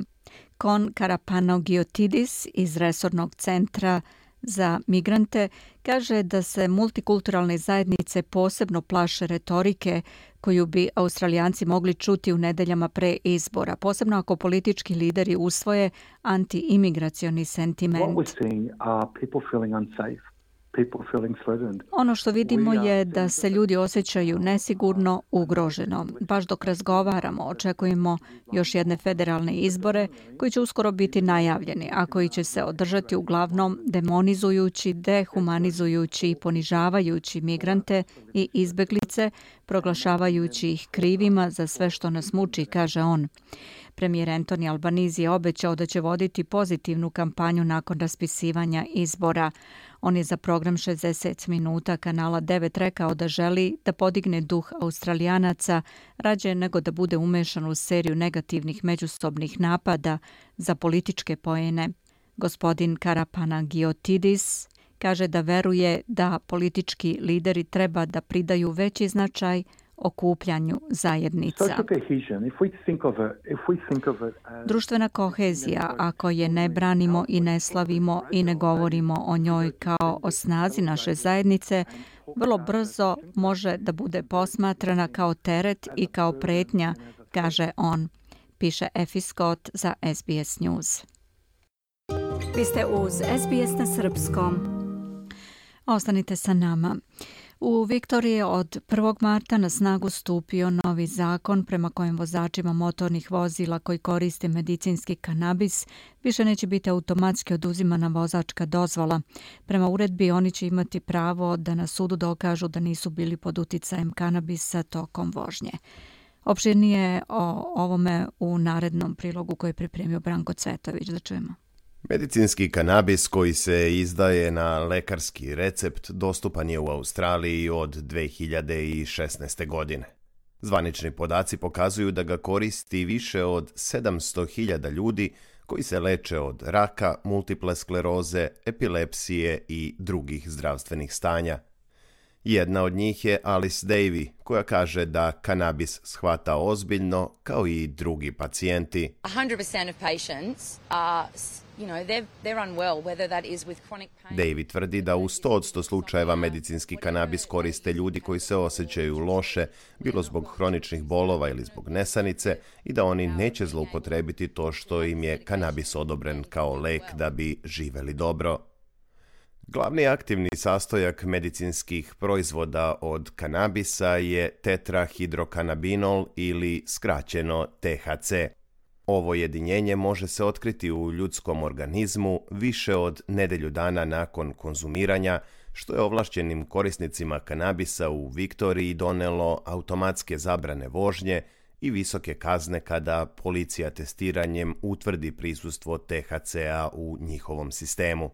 Kon Karapanogiotis iz Resornog centra za migrante kaže da se multikulturalne zajednice posebno plaše retorike koju bi Australijanci mogli čuti u nedeljama pre izbora, posebno ako politički lideri usvoje anti-imigracioni sentiment. Ono što vidimo je da se ljudi osjećaju nesigurno, ugroženo. Baš dok razgovaramo, očekujemo još jedne federalne izbore koji će uskoro biti najavljeni, a koji će se održati uglavnom demonizujući, dehumanizujući i ponižavajući migrante i izbeglice, proglašavajući ih krivima za sve što nas muči, kaže on. Premijer Anthony Albanese je obećao da će voditi pozitivnu kampanju nakon raspisivanja izbora. On je za program 60 minuta kanala 9 rekao da želi da podigne duh Australijanaca rađe nego da bude umešan u seriju negativnih međusobnih napada za političke poene. Gospodin Karapanagiotis kaže da veruje da politički lideri treba da pridaju veći značaj okupljanju zajednica. Društvena kohezija, ako je ne branimo i ne slavimo i ne govorimo o njoj kao o snazi naše zajednice, vrlo brzo može da bude posmatrana kao teret i kao pretnja, kaže on, piše Effie Scott za SBS News. Vi ste uz SBS na srpskom. Ostanite sa nama. U Viktoriji je od 1. marta na snagu stupio novi zakon prema kojem vozačima motornih vozila koji koriste medicinski kanabis više neće biti automatski oduzimana vozačka dozvola. Prema uredbi oni će imati pravo da na sudu dokažu da nisu bili pod uticajem kanabisa tokom vožnje. Opširnije o ovome u narednom prilogu koji je pripremio Branko Cvetović. Da čujemo. Medicinski kanabis koji se izdaje na lekarski recept dostupan je u Australiji od 2016. godine. Zvanični podaci pokazuju da ga koristi više od 700.000 ljudi koji se leče od raka, multiple skleroze, epilepsije i drugih zdravstvenih stanja. Jedna od njih je Alice Davey, koja kaže da kanabis shvata ozbiljno kao i drugi pacijenti. 100% of patients are, they're unwell, whether that is with chronic pain. Davey tvrdi da u 100% slučajeva medicinski kanabis koriste ljudi koji se osjećaju loše, bilo zbog hroničnih bolova ili zbog nesanice, i da oni neće zloupotrebiti to što im je kanabis odobren kao lek da bi živeli dobro. Glavni aktivni sastojak medicinskih proizvoda od kanabisa je tetrahidrokanabinol ili skraćeno THC. Ovo jedinjenje može se otkriti u ljudskom organizmu više od nedelju dana nakon konzumiranja, što je ovlašćenim korisnicima kanabisa u Viktoriji donelo automatske zabrane vožnje i visoke kazne kada policija testiranjem utvrdi prisustvo THC-a u njihovom sistemu.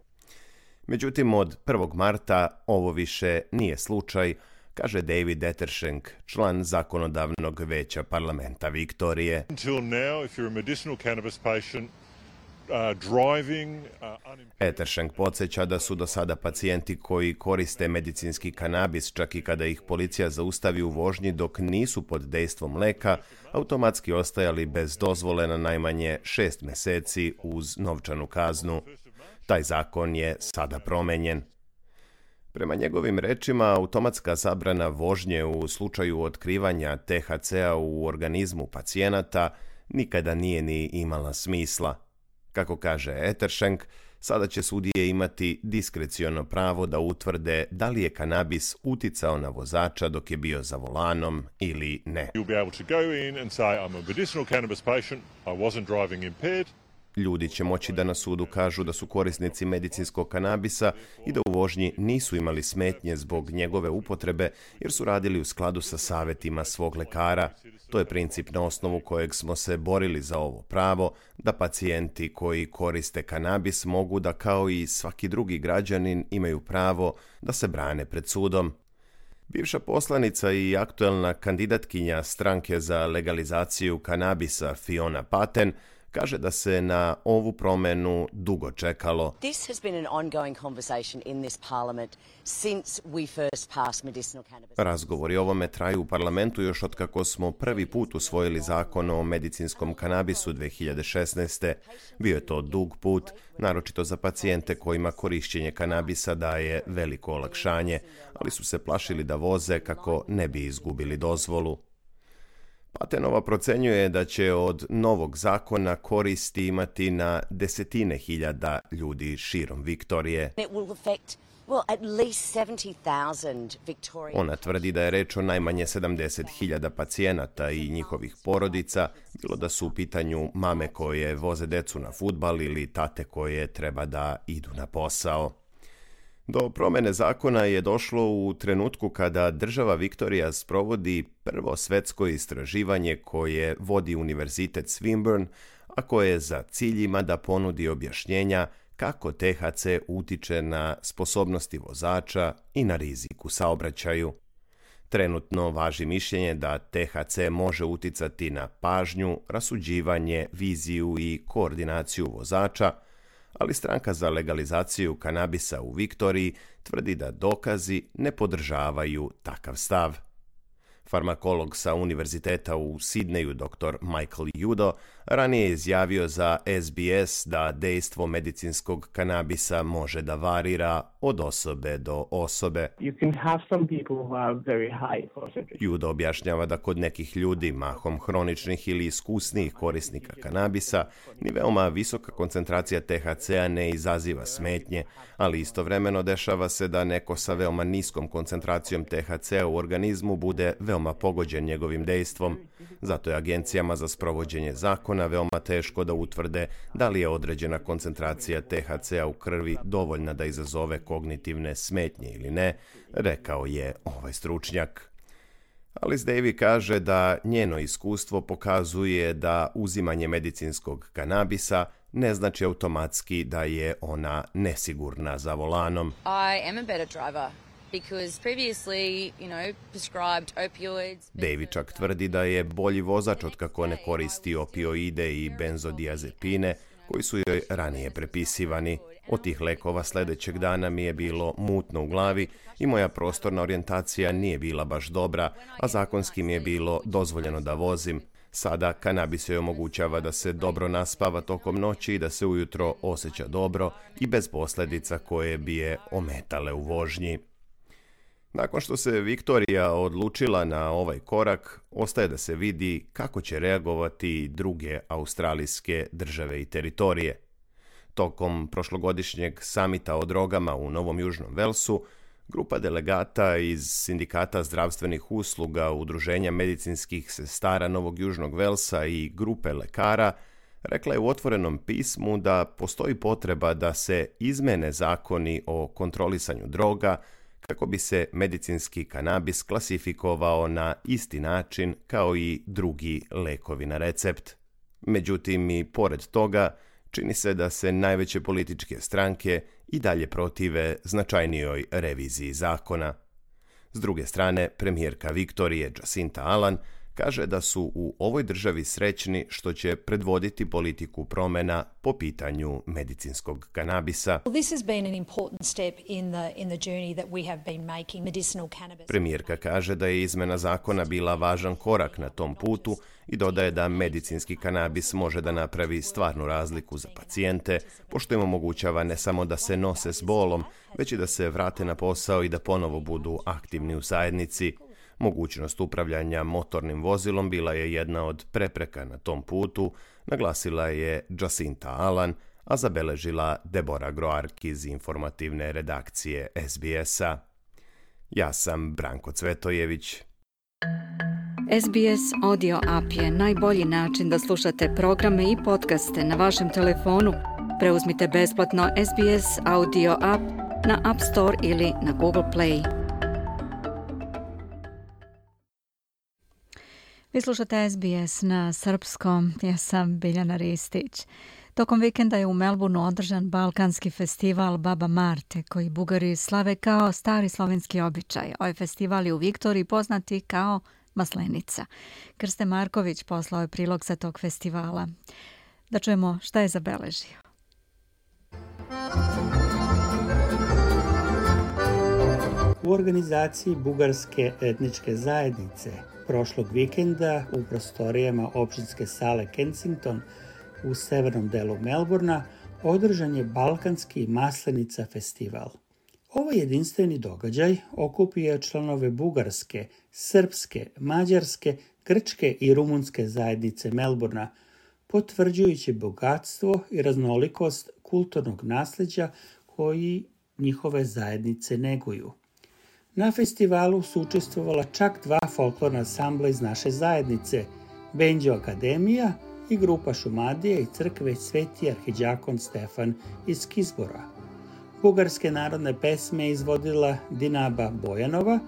Međutim, od 1. marta ovo više nije slučaj, kaže David Ettershank, član zakonodavnog veća parlamenta Viktorije. Ettershank podsjeća da su do sada pacijenti koji koriste medicinski kanabis, čak i kada ih policija zaustavi u vožnji dok nisu pod dejstvom leka, automatski ostajali bez dozvole na najmanje 6 meseci uz novčanu kaznu. Taj zakon je sada promenjen. Prema njegovim rečima, automatska zabrana vožnje u slučaju otkrivanja THC-a u organizmu pacijenata nikada nije ni imala smisla. Kako kaže Ettershank, Sada će sudije imati diskreciono pravo da utvrde da li je kanabis uticao na vozača dok je bio za volanom ili ne. Ljudi će moći da na sudu kažu da su korisnici medicinskog kanabisa i da u vožnji nisu imali smetnje zbog njegove upotrebe jer su radili u skladu sa savjetima svog lekara. To je princip na osnovu kojeg smo se borili za ovo pravo, da pacijenti koji koriste kanabis mogu da kao i svaki drugi građanin imaju pravo da se brane pred sudom. Bivša poslanica i aktuelna kandidatkinja stranke za legalizaciju kanabisa Fiona Patten kaže da se na ovu promenu dugo čekalo. This has been an ongoing conversation in this parliament since we first passed medicinal cannabis. Razgovori o ovome traju u parlamentu još od kako smo prvi put usvojili zakon o medicinskom kanabisu 2016. Bio je to dug put, naročito za pacijente kojima korišćenje kanabisa daje veliko olakšanje, ali su se plašili da voze kako ne bi izgubili dozvolu. Pattenova procenjuje da će od novog zakona koristi imati na desetine hiljada ljudi širom Viktorije. Ona tvrdi da je reč o najmanje 70.000 pacijenata i njihovih porodica, bilo da su u pitanju mame koje voze decu na fudbal ili tate koje treba da idu na posao. Do promene zakona je došlo u trenutku kada država Viktorija sprovodi prvo svetsko istraživanje koje vodi Univerzitet Swinburne, a koje za cilj ima da ponudi objašnjenja kako THC utiče na sposobnosti vozača i na rizik u saobraćaju. Trenutno važi mišljenje da THC može uticati na pažnju, rasuđivanje, viziju i koordinaciju vozača, ali stranka za legalizaciju kanabisa u Viktoriji tvrdi da dokazi ne podržavaju takav stav. Farmakolog sa univerziteta u Sidneju, dr. Michael Judo, ranije je izjavio za SBS da dejstvo medicinskog kanabisa može da varira od osobe do osobe. Judo objašnjava da kod nekih ljudi, mahom hroničnih ili iskusnijih korisnika kanabisa, ni veoma visoka koncentracija THC-a ne izaziva smetnje, ali istovremeno dešava se da neko sa veoma niskom koncentracijom THC-a u organizmu bude veoma pogođen njegovim dejstvom. Zato je agencijama za sprovođenje zakona veoma teško da utvrde da li je određena koncentracija THC-a u krvi dovoljna da izazove kognitivne smetnje ili ne, rekao je ovaj stručnjak. Alice Davy kaže da njeno iskustvo pokazuje da uzimanje medicinskog kanabisa ne znači automatski da je ona nesigurna za volanom. I am a better driver. Davy čak tvrdi da je bolji vozač od kako ne koristi opioide i benzodiazepine koji su joj ranije prepisivani. Od tih lekova sljedećeg dana mi je bilo mutno u glavi i moja prostorna orijentacija nije bila baš dobra, a zakonski mi je bilo dozvoljeno da vozim. Sada kanabis joj omogućava da se dobro naspava tokom noći i da se ujutro osjeća dobro i bez posljedica koje bi je ometale u vožnji. Nakon što se Viktorija odlučila na ovaj korak, ostaje da se vidi kako će reagovati druge australijske države i teritorije. Tokom prošlogodišnjeg samita o drogama u Novom Južnom Velsu, grupa delegata iz Sindikata zdravstvenih usluga, Udruženja medicinskih sestara Novog Južnog Velsa i grupe lekara rekla je u otvorenom pismu da postoji potreba da se izmene zakoni o kontrolisanju droga kako bi se medicinski kanabis klasifikovao na isti način kao i drugi lekovi na recept. Međutim, i pored toga, čini se da se najveće političke stranke i dalje protive značajnijoj reviziji zakona. S druge strane, premijerka Viktorije Jacinta Allan kaže da su u ovoj državi srećni što će predvoditi politiku promjena po pitanju medicinskog kanabisa. Premijerka kaže da je izmena zakona bila važan korak na tom putu i dodaje da medicinski kanabis može da napravi stvarnu razliku za pacijente, pošto im omogućava ne samo da se nose s bolom, već i da se vrate na posao i da ponovo budu aktivni u zajednici. Mogućnost upravljanja motornim vozilom bila je jedna od prepreka na tom putu, naglasila je Jacinta Allan, a zabeležila Debora Groark iz informativne redakcije SBS-a. Ja sam Branko Cvetojević. SBS Audio App je najbolji način da slušate programe i podcaste na vašem telefonu. Preuzmite besplatno SBS Audio App na App Store ili na Google Play. Vi slušate SBS na srpskom, ja sam Biljana Ristić. Tokom vikenda je u Melbourneu održan balkanski festival Baba Marte, koji Bugari slave kao stari slovenski običaj. Ovaj festival je u Viktoriji poznati kao Maslenica. Krste Marković poslao je prilog sa tog festivala. Da čujemo šta je zabeležio. U organizaciji bugarske etničke zajednice prošlog vikenda u prostorijama opštinske sale Kensington u severnom delu Melbourna održan je Balkanski Maslenica festival. Ovaj jedinstveni događaj okupio članove bugarske, srpske, mađarske, grčke i rumunske zajednice Melbourna, potvrđujući bogatstvo i raznolikost kulturnog nasljeđa koji njihove zajednice neguju. Na festivalu su učestvovala čak 2 folklorna ansambla iz naše zajednice, Benđo Akademija i grupa Šumadije i crkve Sveti arhidjakon Stefan iz Kizbora. Bugarske narodne pesme izvodila Dinaba Bojanova,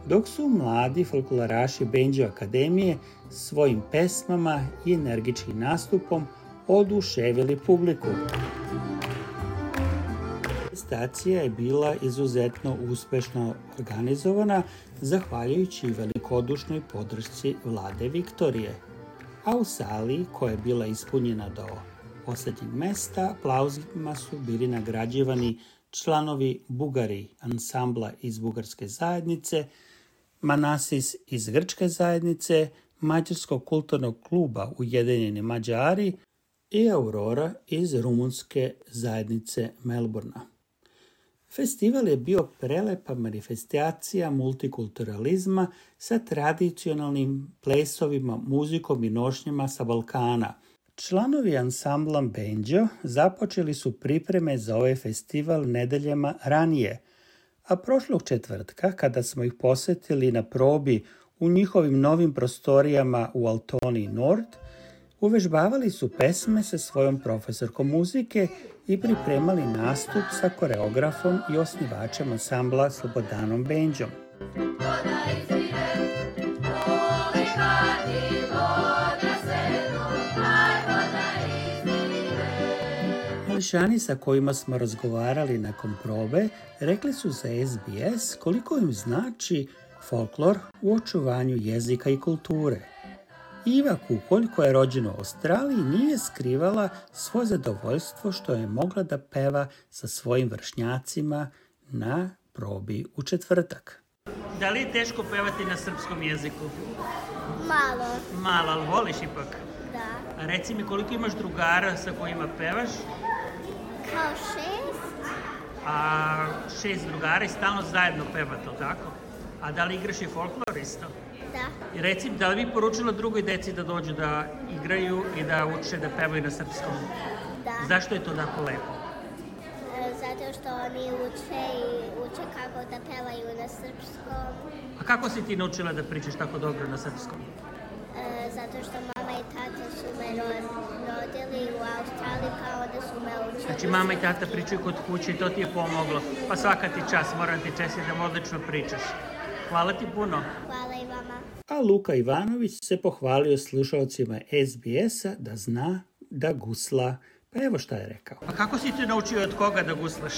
dok su mladi folkloraši Benđo Akademije svojim pesmama i energičnim nastupom oduševili publiku. Manifestacija je bila izuzetno uspešno organizovana zahvaljujući velikodušnoj podršci vlade Viktorije, a u sali koja je bila ispunjena do posljednjeg mesta aplauzima su bili nagrađivani članovi Bugari ansambla iz bugarske zajednice, Manasis iz grčke zajednice, Mađarskog kulturnog kluba Ujedinjeni Mađari i Aurora iz rumunske zajednice Melbourna. Festival je bio prelepa manifestacija multikulturalizma sa tradicionalnim plesovima, muzikom i nošnjama sa Balkana. Članovi ansambla Benđo započeli su pripreme za ovaj festival nedeljama ranije, a prošlog četvrtka, kada smo ih posjetili na probi u njihovim novim prostorijama u Altoni Nord, uvežbavali su pesme sa svojom profesorkom muzike i pripremali nastup sa koreografom i osnivačem ansambla Slobodanom Benđom. Mališani sa kojima smo razgovarali nakon probe rekli su za SBS koliko im znači folklor u očuvanju jezika i kulture. Iva Kukolj, koja je rođena u Australiji, nije skrivala svoje zadovoljstvo što je mogla da peva sa svojim vršnjacima na probi u četvrtak. Da li je teško pevati na srpskom jeziku? Malo. Malo, ali voliš ipak? Da. A reci mi, koliko imaš drugara sa kojima pevaš? Kao 6. A 6 drugara i stalno zajedno pevate, li tako? A da li igraš i folklor isto? Da. I reci, da li bi poručila drugoj deci da dođu da igraju i da uče da pevaju na srpskom? Da. Zašto je to tako lepo? Zato što oni uče kako da pevaju na srpskom. A kako si ti naučila da pričaš tako dobro na srpskom? Zato što mama i tata su me rodili u Australiji, pa onda su me učili. Znači mama i tata pričaju kod kuće i to ti je pomoglo. Pa svaka ti čast, moram ti čestiti da odlično pričaš. Hvala ti puno. Hvala i vama. A Luka Ivanović se pohvalio slušalcima SBS-a da zna da gusla. Pa evo šta je rekao. A kako si ti naučio od koga da guslaš?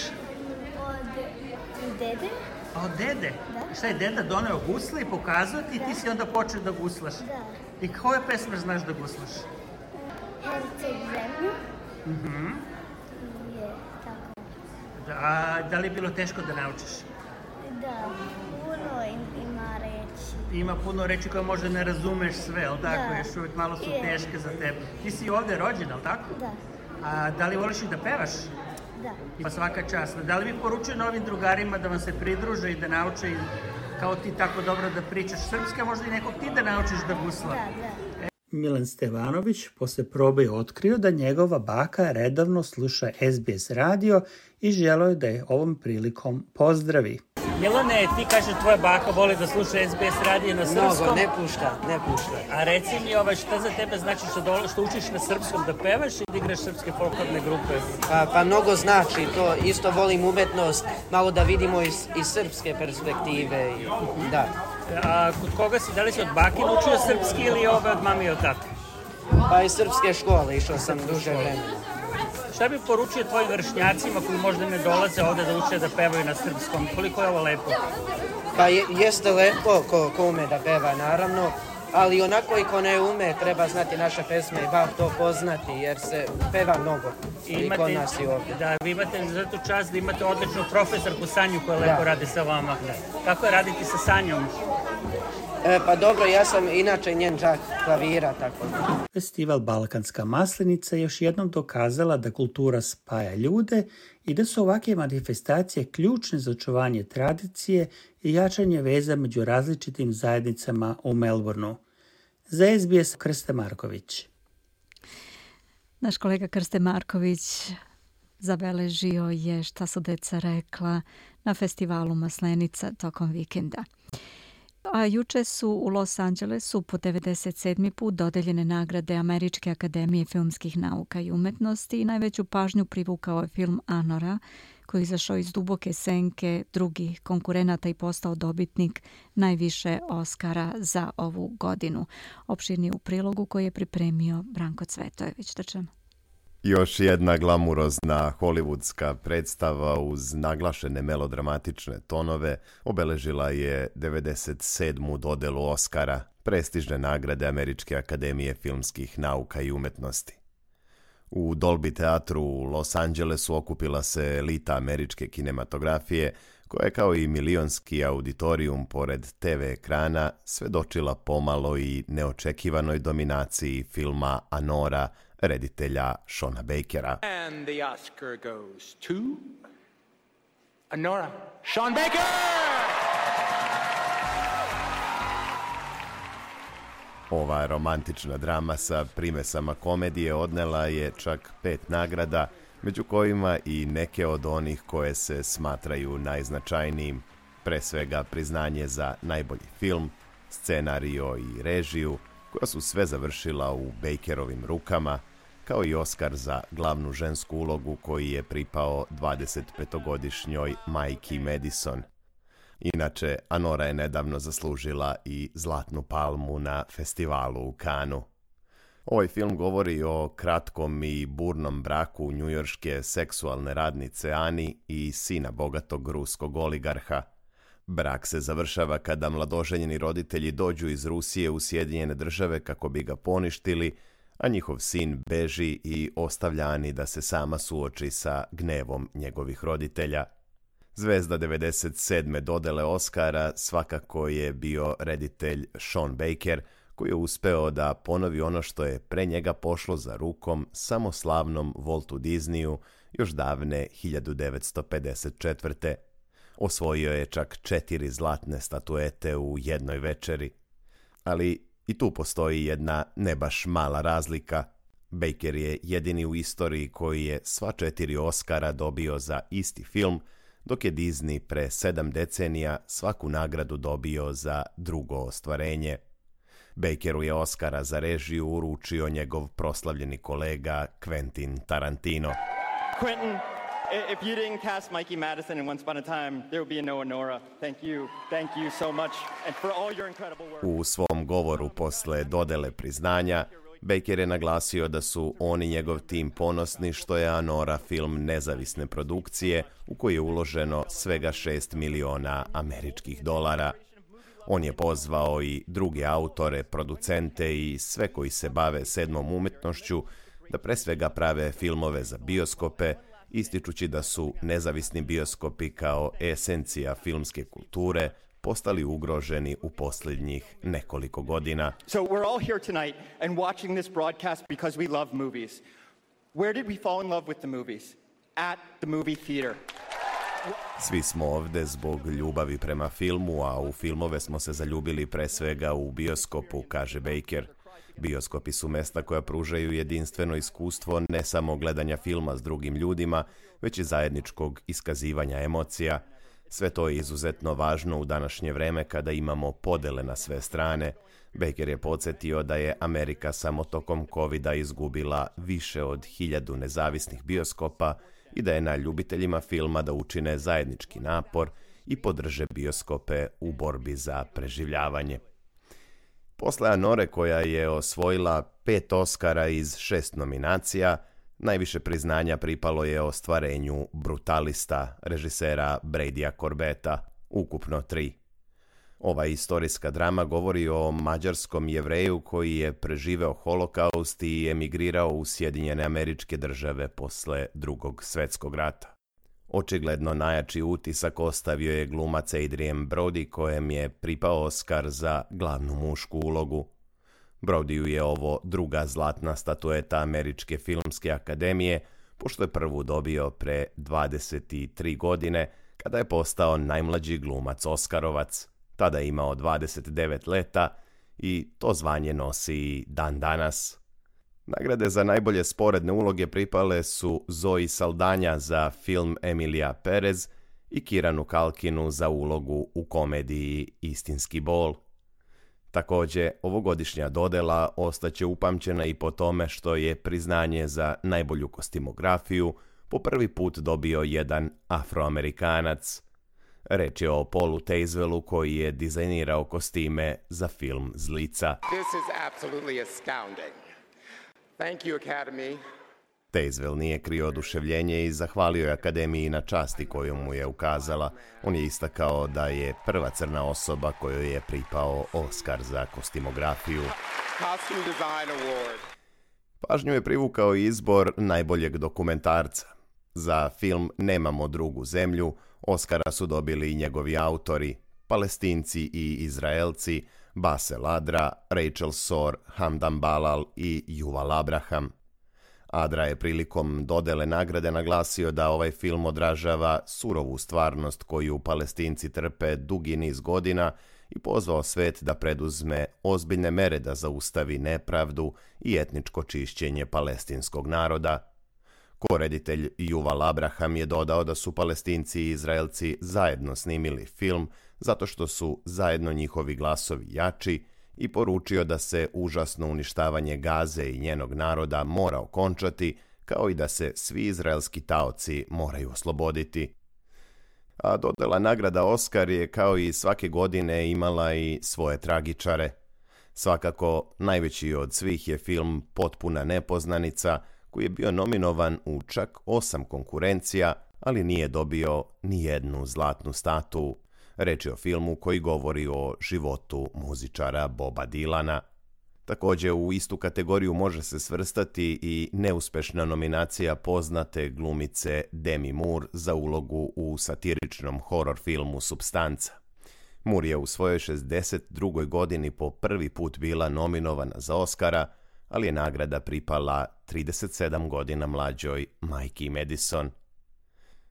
Od dede. A od dede? Da. Šta je deda doneo gusle i pokazao ti i ti si onda počeo da guslaš? Da. I koje pesme znaš da guslaš? Herceg zemlju. Mhm. Je, tako. Da li je bilo teško da naučiš? Da, puno ima reči. Ima puno reči koje možda ne razumeš sve, ali tako? Da. Još uvijek malo su teške za tebe. Ti si ovdje rođena, ali tako? Da. A da li voliš i da pevaš? Da. Pa svaka čast. Da li bi poručio novim drugarima da vam se pridruže i da nauče kao ti tako dobro da pričaš srpski, a možda i nekog ti da naučiš da gusla? Da. Milan Stevanović posle probe je otkrio da njegova baka redovno sluša SBS radio i želeo je da je ovom prilikom pozdravi. Milane, ti kaže tvoja baka voli da sluša SBS radio na srpskom? Mnogo, ne pušta. A reci mi, šta za tebe znači što učiš na srpskom da pevaš i da igraš srpske folklorne grupe? Pa mnogo znači, to isto volim umetnost, malo da vidimo iz srpske perspektive. Da. A kod koga si, da li si od bake naučio srpski ili od mami i od tate? Pa iz srpske škole, išao sam duže vremena. Šta bi poručio tvojim vršnjacima koji možda ne dolaze ovde da uče da pevaju na srpskom? Koliko je ovo lepo? Pa jeste lepo ko ume da peva, naravno, ali onako i ko ne ume treba znati naše pesme i bar to poznati, jer se peva mnogo i kod nas i ovdje. Da, vi imate za tu čast da imate odličnu profesorku Sanju koja lepo radi sa vama. Kako je raditi sa Sanjom? Pa dobro, ja sam inače njen đak klavira, tako. Festival Balkanska maslinica je još jednom dokazala da kultura spaja ljude i da su ovakve manifestacije ključne za očuvanje tradicije i jačanje veza među različitim zajednicama u Melbourneu. Za SBS Krste Marković. Naš kolega Krste Marković zabeležio je šta su deca rekla na festivalu Maslenica tokom vikenda. A juče su u Los Angelesu po 97. put dodeljene nagrade Američke akademije filmskih nauka i umetnosti i najveću pažnju privukao je film Anora, koji je izašao iz duboke senke drugih konkurenata i postao dobitnik najviše Oscara za ovu godinu. Opširni u prilogu koji je pripremio Branko Cvetojević. Još jedna glamurozna hollywoodska predstava uz naglašene melodramatične tonove obeležila je 97. dodelu Oscara, prestižne nagrade Američke akademije filmskih nauka i umetnosti. U Dolby teatru u Los Angelesu okupila se elita američke kinematografije, koja je kao i milionski auditorijum pored TV ekrana svedočila pomalo i neočekivanoj dominaciji filma Anora, reditelja Shona Bakera. And the Oscar goes to Anora. Sean Baker! Ova romantična drama sa primesama komedije odnela je čak 5 nagrada, među kojima i neke od onih koje se smatraju najznačajnijim, pre svega priznanje za najbolji film, scenario i režiju, koja su sve završila u Bakerovim rukama, kao i Oskar za glavnu žensku ulogu koji je pripao 25-godišnjoj Majki Madison. Inače, Anora je nedavno zaslužila i Zlatnu palmu na festivalu u Cannesu. Ovaj film govori o kratkom i burnom braku njujorške seksualne radnice Ani i sina bogatog ruskog oligarha. Brak se završava kada mladoženjeni roditelji dođu iz Rusije u Sjedinjene Države kako bi ga poništili, a njihov sin beži i ostavlja Ani da se sama suoči sa gnevom njegovih roditelja. Zvezda 97. dodele Oscara svakako je bio reditelj Sean Baker, koji je uspeo da ponovi ono što je pre njega pošlo za rukom samo slavnom Waltu Disneyu još davne 1954. Osvojio je čak 4 zlatne statuete u jednoj večeri. Ali i tu postoji jedna ne baš mala razlika. Baker je jedini u istoriji koji je sva 4 Oscara dobio za isti film, dok je Disney pre 7 decenija svaku nagradu dobio za drugo ostvarenje. Bakeru je Oscara za režiju uručio njegov proslavljeni kolega Quentin Tarantino. Quentin, if you didn't cast Mikey Madison in Once Upon a Time, there would be no Anora. Thank you so much and for all your incredible work. U svom govoru posle dodele priznanja, Baker je naglasio da su on i njegov tim ponosni što je Anora film nezavisne produkcije u koji je uloženo svega $6 miliona američkih dolara. On je pozvao i druge autore, producente i sve koji se bave sedmom umetnošću da pre svega prave filmove za bioskope, ističući da su nezavisni bioskopi kao esencija filmske kulture postali ugroženi u posljednjih nekoliko godina. So we're all here tonight and watching this broadcast because we love movies. Where did we fall in love with the movies? At the movie theater. Svi smo ovde zbog ljubavi prema filmu, a u filmove smo se zaljubili pre svega u bioskopu, kaže Baker. Bioskopi su mesta koja pružaju jedinstveno iskustvo ne samo gledanja filma s drugim ljudima, već i zajedničkog iskazivanja emocija. Sve to je izuzetno važno u današnje vreme kada imamo podele na sve strane. Baker je podsjetio da je Amerika samo tokom covida izgubila više od 1000 nezavisnih bioskopa i da je na ljubiteljima filma da učine zajednički napor i podrže bioskope u borbi za preživljavanje. Posle Anore, koja je osvojila 5 Oscara iz 6 nominacija, najviše priznanja pripalo je ostvarenju Brutalista režisera Bradya Corbetta, ukupno 3. Ova istorijska drama govori o mađarskom Jevreju koji je preživeo holokaust i emigrirao u Sjedinjene Američke Države posle Drugog svjetskog rata. Očigledno najjači utisak ostavio je glumac Adrien Brody, kojem je pripao Oscar za glavnu mušku ulogu. Brodyju je ovo druga zlatna statueta Američke filmske akademije, pošto je prvu dobio pre 23 godine, kada je postao najmlađi glumac Oskarovac. Tada je imao 29 leta i to zvanje nosi i dan danas. Nagrade za najbolje sporedne uloge pripale su Zoe Saldana za film Emilija Perez i Kiranu Kalkinu za ulogu u komediji Istinski bol. Također, ovogodišnja dodela ostaće upamćena i po tome što je priznanje za najbolju kostimografiju po prvi put dobio jedan Afroamerikanac. Reč je o Paulu Tazewellu koji je dizajnirao kostime za film Zlica. This is absolutely astounding. Thank you, Academy. Tazewell nije krio oduševljenje i zahvalio je Akademiji na časti koju mu je ukazala. On je istakao da je prva crna osoba kojoj je pripao Oscar za kostimografiju. Costume Design Award. Pažnju je privukao izbor najboljeg dokumentarca. Za film Nemamo drugu zemlju Oscara su dobili i njegovi autori, Palestinci i Izraelci, Basel Adra, Rachel Sor, Hamdan Balal i Yuval Abraham. Adra je prilikom dodele nagrade naglasio da ovaj film odražava surovu stvarnost koju Palestinci trpe dugi niz godina i pozvao svet da preduzme ozbiljne mere da zaustavi nepravdu i etničko čišćenje palestinskog naroda. Koreditelj Yuval Abraham je dodao da su Palestinci i Izraelci zajedno snimili film zato što su zajedno njihovi glasovi jači i poručio da se užasno uništavanje Gaze i njenog naroda mora okončati, kao i da se svi izraelski taoci moraju osloboditi. A dodela nagrada Oscar je kao i svake godine imala i svoje tragičare. Svakako, najveći od svih je film Potpuna nepoznanica, koji je bio nominovan u čak 8 konkurencija, ali nije dobio ni jednu zlatnu statu. Reč je o filmu koji govori o životu muzičara Boba Dylana. Također u istu kategoriju može se svrstati i neuspešna nominacija poznate glumice Demi Moore za ulogu u satiričnom horor filmu Supstanca. Moore je u svojoj 62. godini po prvi put bila nominovana za Oscara, ali je nagrada pripala 37 godina mlađoj Majki Madison.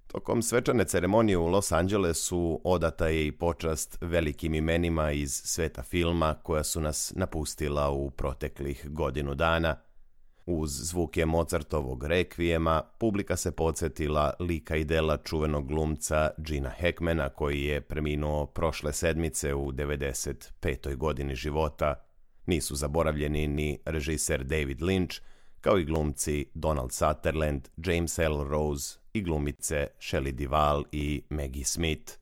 Tokom svečane ceremonije u Los Angelesu odata je i počast velikim imenima iz sveta filma koja su nas napustila u proteklih godinu dana. Uz zvuke Mozartovog rekvijema, publika se podsjetila lika i dela čuvenog glumca Gina Hackmana koji je preminuo prošle sedmice u 95. godini života. Nisu zaboravljeni ni režiser David Lynch, kao i glumci Donald Sutherland, James Earl Rose i glumice Shelley Duvall i Maggie Smith.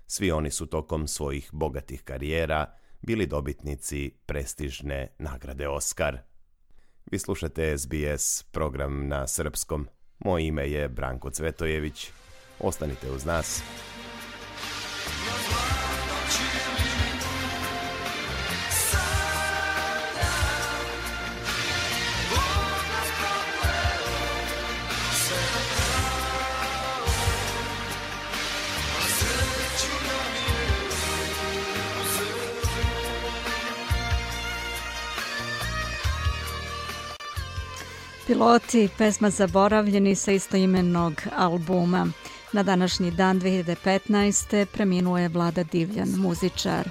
Svi oni su tokom svojih bogatih karijera bili dobitnici prestižne nagrade Oscar. Vi slušate SBS, program na srpskom. Moje ime je Branko Cvetojević. Ostanite uz nas. Piloti, pesma Zaboravljeni sa istoimenog albuma. Na današnji dan 2015. preminuo je Vlada Divljan, muzičar.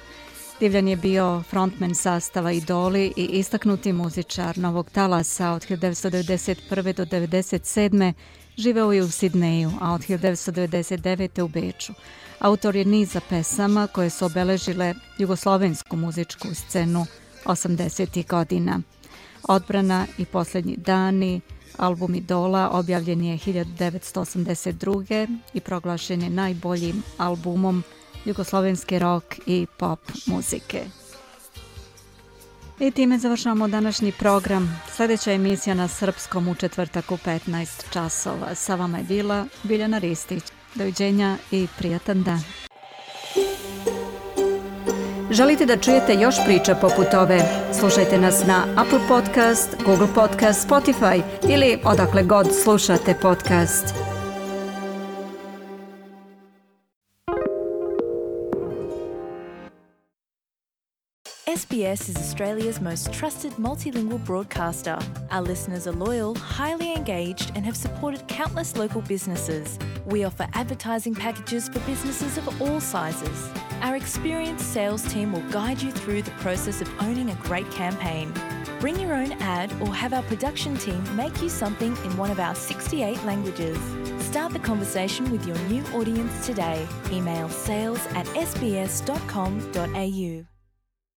Divljan je bio frontman sastava Idoli i istaknuti muzičar Novog talasa. Od 1991. do 1997. živeo je u Sidneju, a od 1999. u Beču. Autor je niza pesama koje su obeležile jugoslovensku muzičku scenu 80. godina. Odbrana i posljednji dani, album Idola objavljen je 1982. i proglašen je najboljim albumom jugoslovenske rock i pop muzike. I time završavamo današnji program. Sljedeća emisija na srpskom u četvrtak u 15 časova. Sa vama je bila Biljana Ristić. Doviđenja i prijatan dan. Želite da čujete još priča poput ove? Slušajte nas na Apple Podcast, Google Podcast, Spotify ili odakle god slušate podcast. SBS is Australia's most trusted multilingual broadcaster. Our listeners are loyal, highly engaged, and have supported countless local businesses. We offer advertising packages for businesses of all sizes. Our experienced sales team will guide you through the process of owning a great campaign. Bring your own ad or have our production team make you something in one of our 68 languages. Start the conversation with your new audience today. Email sales@sbs.com.au.